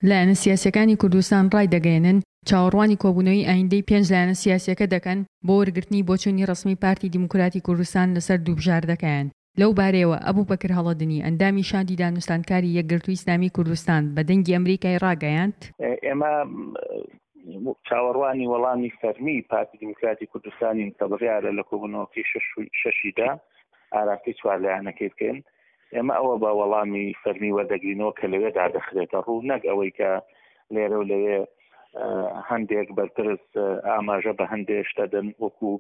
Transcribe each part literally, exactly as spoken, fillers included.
لایەنە سیاسییەکانی کوردستان ڕایدەگەیەنن، چاوەڕوانی کۆبوونەوەی ئایندەی پێنج لایەنە سیاسییەکە دەکەن بۆ وەرگرتنی بۆچوونی ڕەسمی پارتی دیموکراتی کوردستان لەسەر دوو بژاردەکەیان. لەو بارەیەوە ئەبوبەکر هەڵەدنی، ئەندامی شاندی دانوستاندکاری یەکگرتووی ئیسلامی کوردستان بە دەنگی ئەمریکای ڕاگەیاند، ئێمە چاوەڕوانی وەڵامی فەرمی پارتی دیموکراتی کوردستانین کە بڕیارە لە کۆبوونەوەکەی شەشیدا ئاراستەی چوار لایەنەکەی بکەین. ئێمە ئەوە بە وەڵامی فەرمی وەردەگرینەوە کە لەوێدا دەخرێتە ڕوو، نەک ئەوەی کە لێرە و لەوێ هەندێک بەرپرس ئاماژە بە هەندێک شتە دەن وەکو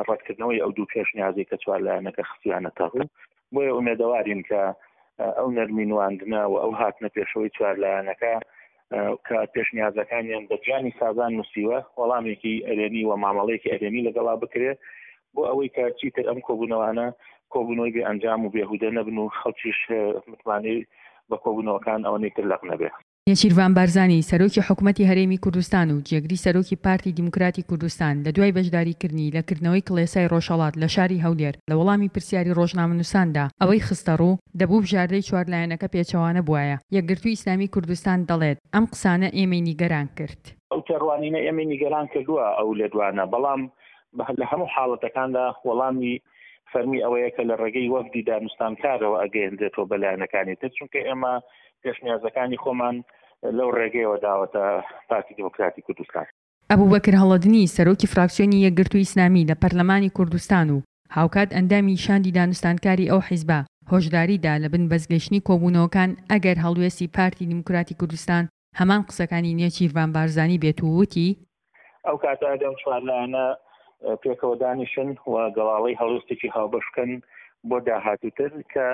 ڕەتکردنەوەی ئەو دوو پێشنیازی کە چوار لایەنەکە خستویانەتە ڕوو. بۆیە ئومێدەوارین کە ئەو نەرمی نواندنە و ئەو هاتنە پێشەوەی چوار لایەنەکە کە پێشنیازەکانیان بە گیانی سازان نووسیوە وەڵامێکی ئەرێنی و مامەڵەیەکی ئەرێنی لەگەڵا بکرێت بۆ ئەوەی کە چیتر ئەم کۆبوونەوانە کۆبوونەوەی بێ ئەنجام و بێهودە نەبن و خەڵکیش متمانەی بە کۆبوونەوەکان ئەوەنەی تر لەق نەبێ. نێچیرڤان بارزانی، سەرۆکی حکومەتی هەرێمی کوردستان و جێگری سەرۆکی پارتی دیموکراتی کوردستان لە دوای بەشداریکردنی لە کردنەوەی کڵێسای ڕۆژهەڵات لە شاری هەولێر لە وەڵامی پرسیاری ڕۆژنامەنووساندا ئەوەی خستەڕوو، دەبوو بژاردەی چوار لایەنەکە پێچەوانە بوایە. یەکگرتووی ئیسلامی کوردستان دەڵێت، ئەم قسانە ئێمەی نیگەران کرد. ئەو تێڕوانینە ئێمەی نیگەران کردووە ئەو لێدوانە، بەڵام لە هەموو حاڵەتەکاندا وەڵامی فەرمی ئەوەیە کە لە ڕێگەی وەفدی دانوستانکارەوە ئەگەیەندرێتەوە بە لایەنەکانی تر، چونکە ئێمە پێشنیازەکانی خۆمان لەو ڕێگەیەوە داوەتە پارتی دیموکراتی کوردستان. ئەبوبەکر هەڵەدنی، سەرۆکی فراکسیۆنی یەکگرتووی ئیسلامی لە پەرلەمانی کوردستان و هاوکات ئەندامی شاندی دانوستانکاری ئەو حیزبە، هۆشداری دا لە بنبەستگەیشتنی کۆبوونەوەکان ئەگەر هەڵوێستی پارتی دیموکراتی کوردستان هەمان قسەکانی نێچیرڤان بارزانی بێت و وتی، ئەو کاتە ئەم چوار لایەنە پێکەوە دانیشن و گەڵاڵەی هەڵوێستێکی هاوبەش بکەن بۆ داهاتووتر، کە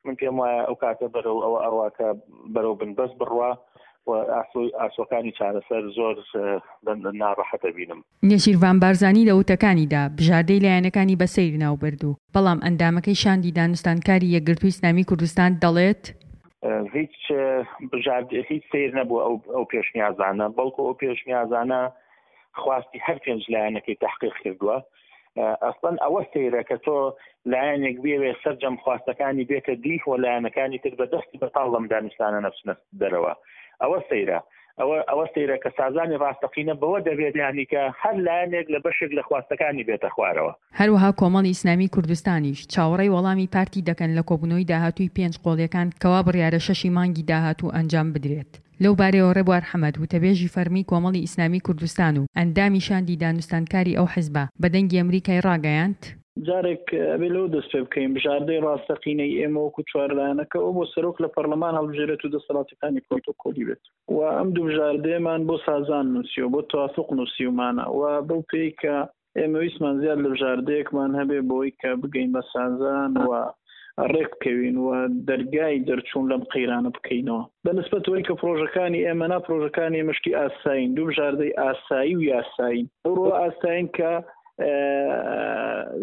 من پێم وایە ئەو کاتە بەرەو ئەوە ئەڕوا کە بەرەو بنبەست بڕوا و ئاسۆکانی چارەسەر زۆر ناڕەحەتە بینم. نێچیرڤان بارزانی لە وتەکانیدا بژاردەی لایەنەکانی بە سەیر ناوبرد و بەڵام ئەندامەکەی شاندی دانوستاندکاری یەکگرتووی ئیسلامی کوردستان دەڵێت، هیچ بژارد هیچ سەیر نەبوو ئەو ئەو پێشنیازانە، بەڵکو ئەو پێشنیازانە خواستی هەر پێنج لایەنەکەی تحقیق کردووە. ئەسڵەن ئەوە سەیرە کە تۆ لایەنێک بێوێ سەرجەم خواستەکانی بێتە دی و لایەنەکانی تر بە دەستی بەتاڵ لەم دانوستانە نەچنە دەرەوە. ئەوە سەیرە، ئەوە ئەوە سەیرە کە سازانی ڕاستەقینە بەوە دەبێت یعنی کە هەر لایەنێک لە بەشێک لە خواستەکانی بێتە خوارەوە. هەروەها کۆمەڵی ئیسلامی کوردستانیش چاوەڕێی وەڵامی پارتی دەکەن لە کۆبوونەوەی داهاتووی پێنج قۆڵیەکان کەوا بڕیارە شەشی مانگی داهاتوو ئەنجام بدرێت. لەو بارەیەوە ڕێبوار حەمەد، وتەبێژی فەرمی کۆمەڵی ئیسلامی کوردستان و ئەندامی شاندی دانوستاندکاری ئەو حزبە، بە دەنگی ئەمریکای ڕاگەیاند، جارێک ئەبێ لەوە دەست پێ بکەین بژاردەی ڕاستەقینەی ئێمە وەکو چوار لایەنەکە ئەو بۆ سەرۆک لە پەرلەمان هەڵبژێرێت و دەسەڵاتەکانی پرۆتۆکۆلی بێت و ئەم دوو بژاردەیەمان بۆ سازان نووسیوە، بۆ توافق نووسیومانە و بەو پێی کە ئێمە ویستمان زیاد لە بژاردەیەکمان هەبێ بۆی کە بگەین بە سازان و ڕێک بکەوین و دەرگای دەرچوون لەم قەیرانە بکەینەوە. بە نسبەت ئەوەی کە پرۆژەکانی ئێمە نا، پرۆژەکانی ئێمە شتی ئاسایین، دوو بژاردەی ئاسایی و یاسایین. ئەو ڕۆ ئاسایین کە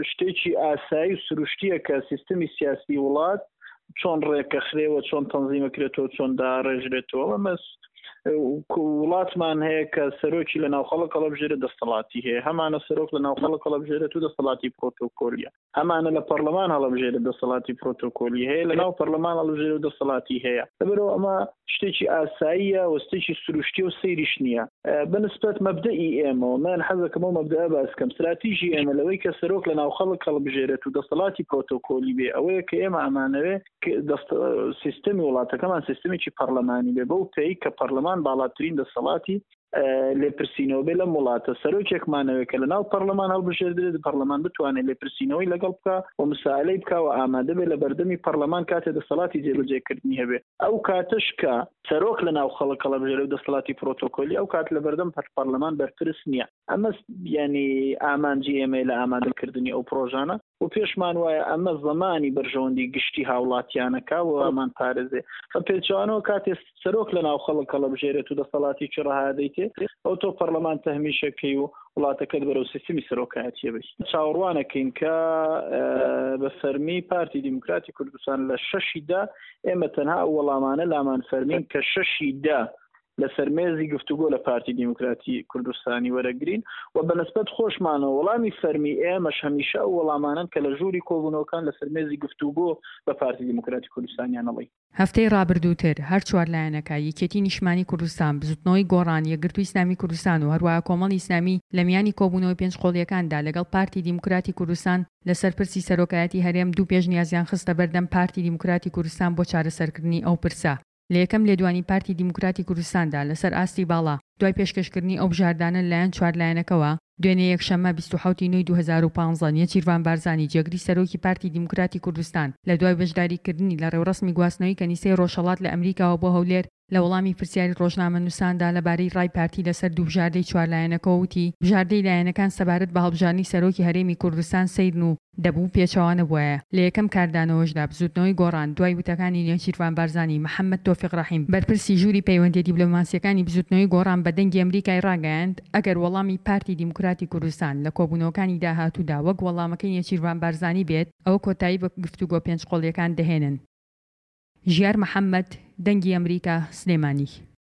شتێکی ئاسایی و سروشتیە کە سیستمی سیاسی وڵات چۆن ڕێکەخرێەوە، چۆن تەنزیمەکرێتەوە، چۆن داڕێژرێتەوە. ئەمە وڵاتمان هەیە کە سەرۆکی لە ناوخەڵک هەڵبژێرێت دەسەڵاتی هەیە، هەمانە سەرۆک لە ناوخەڵک هەڵبژێرێت و دەسەڵاتی پرۆتۆکۆلیە، هەمانە لە پەرلەمان هەڵبژێرێت دەسەڵاتی پرۆتۆکۆلی هەیە، لە ناو پەرلەمان هەڵبژێرێت و دەسەڵاتی هەیە. لەبەرەوە ئەمە شتێکی ئاساییە و شتێکی سروشتی و سەیریش نییە. بە نسبەت مەبدەئی ئێمەوە من حەزەکەم ئەو مەبدەئە باس بکەم. استراتیژی ئێمە لەوەی کە سەرۆک لە ناو خەڵک هەڵبژێرێت و دەسەڵاتی پرۆتۆکۆلی بێ ئەوەیە کە ئێمە ئەمانەوێ سیستمی وڵاتەکەمان سیستمێکی پەرلەمانی بێ، بەو پێی کە پەرلەمان باڵاترین دەسەڵاتی لێپرسینەوە بێ لەم وڵاتە. سەرۆکێکمانەوێت کە لەناو پەرلەمان هەڵبژێردرێت، پەرلەمان بتوانێت لێپرسینەوەی لەگەڵ بکا و مسائلەی بکا و ئامادە بێ لە بەردەمی پەرلەمان کاتێ دەسەڵاتی جێبەجێکردنی هەبێ. ئەو کاتەش کە سەرۆک لە ناو خەڵک هەڵبژێرێ و دەسەڵاتی پرۆتۆکۆلی، ئەو کات لە بەردەم پەرلەمان بەرپرس نییە. ئەمە یعنی ئامانجی ئێمەیە لە ئامادەکردنی ئەو پرۆژانە و پێشمان وایە ئەمە زەمانی بەرژەوەندی گشتی هاوڵاتیانەکە و ئەمان پارێزێ. بە پێچەوانەوە کاتێ سەرۆک لە ناو خەڵک هەڵبژێرێت و دەسەڵاتێکی ڕەها دەیتێ، ئەو تۆ پەرلەمان تەهمیشەکەی و وڵاتەکەت بەرەو سیستمی سەرۆکایەتیە بی. چاوەڕوانەکەین کە بە فەرمی پارتی دیموکراتی کوردستان لە شەشی دا ئێمە تەنها ئەو وەڵامانە لامان فەرمین کە شەشی دا لەسەر مێزی گفتوگۆ لە پارتی دیموکراتی کوردستانی وەرەگرین و بەنسبەت خۆشمانەوە وەڵامی فەرمی ئێمەش هەمیشە ئەو وەڵامانەن کە لە ژووری کۆبوونەوەکان لەسەر مێزی گفتوگۆ بە پارتی دیموکراتی کوردستانیان ئەڵێین. هەفتەی ڕابردووتر هەر چوار لایەنەکە، یەکێتی نیشتمانی کوردستان، بزوتنەوەی گۆڕان، یەکگرتووی ئیسلامی کوردستان و هەروەها کۆمەڵی ئیسلامی لە میانی کۆبوونەوەی پێنج قۆڵییەکاندا لەگەڵ پارتی دیموکراتی کوردستان لەسەر پرسی سەرۆکایەتی هەرێم دوو پێشنیازیان خستە بەردەم پارتی دیموکراتی کوردستان بۆ چارەسەرکردنی ئەو پرسە. لە یەکەم لێدوانی پارتی دیموکراتی کوردستاندا لەسەر ئاستی باڵا، دوای پێشکەشکردنی ئەو بژاردانە لەلایەن چوار لایەنەکەوە، دوێنێ یەکشەممە بیست و حەوت ی نۆی دوو هەزار و پازدە نێچیرڤان بارزانی جێگری سەرۆکی پارتی دیموکراتی کوردستان لە دوای بەشداریکردنی لە ڕێوڕەسمی گواستنەوەی کەنیسەی ڕۆژهەڵات لە ئەمریکاوە بۆ هەولێر لە وەڵامی پرسیاری ڕۆژنامەنووساندا لەبارەی ڕای پارتی لەسەر دوو بژاردەی چوار لایەنەکەوە وتی بژاردەی لایەنەکان سەبارەت بە هەڵبژاردنی سەرۆکی هەرێمی کوردستان سەیرن و دەبوو پێچەوانە بوایە. لە یەکەم کاردانەوەشدا بزووتنەوەی گۆڕان دوای وتەکانی نێچیرڤان بارزانی، محەمەد تۆفیق ڕەحیم، بەرپرسی ژووری پەیوەندیە دیبلۆماسیەکانی بزووتنەوەی گۆڕان بە دەنگی ئەمریکای ڕاگەیاند ئەگەر وەڵامی پارتی دیموکراتی کوردستان لە کۆبوونەوەکانی داهاتوودا وەک وەڵامەکەی نێچیرڤان بارزانی بێت ئەوە کۆتایی بە گفتوگۆ پێنج قۆڵیەکان دەهێنن. ژیار محەمەد، دەنگی ئەمریکا، سلێمانی.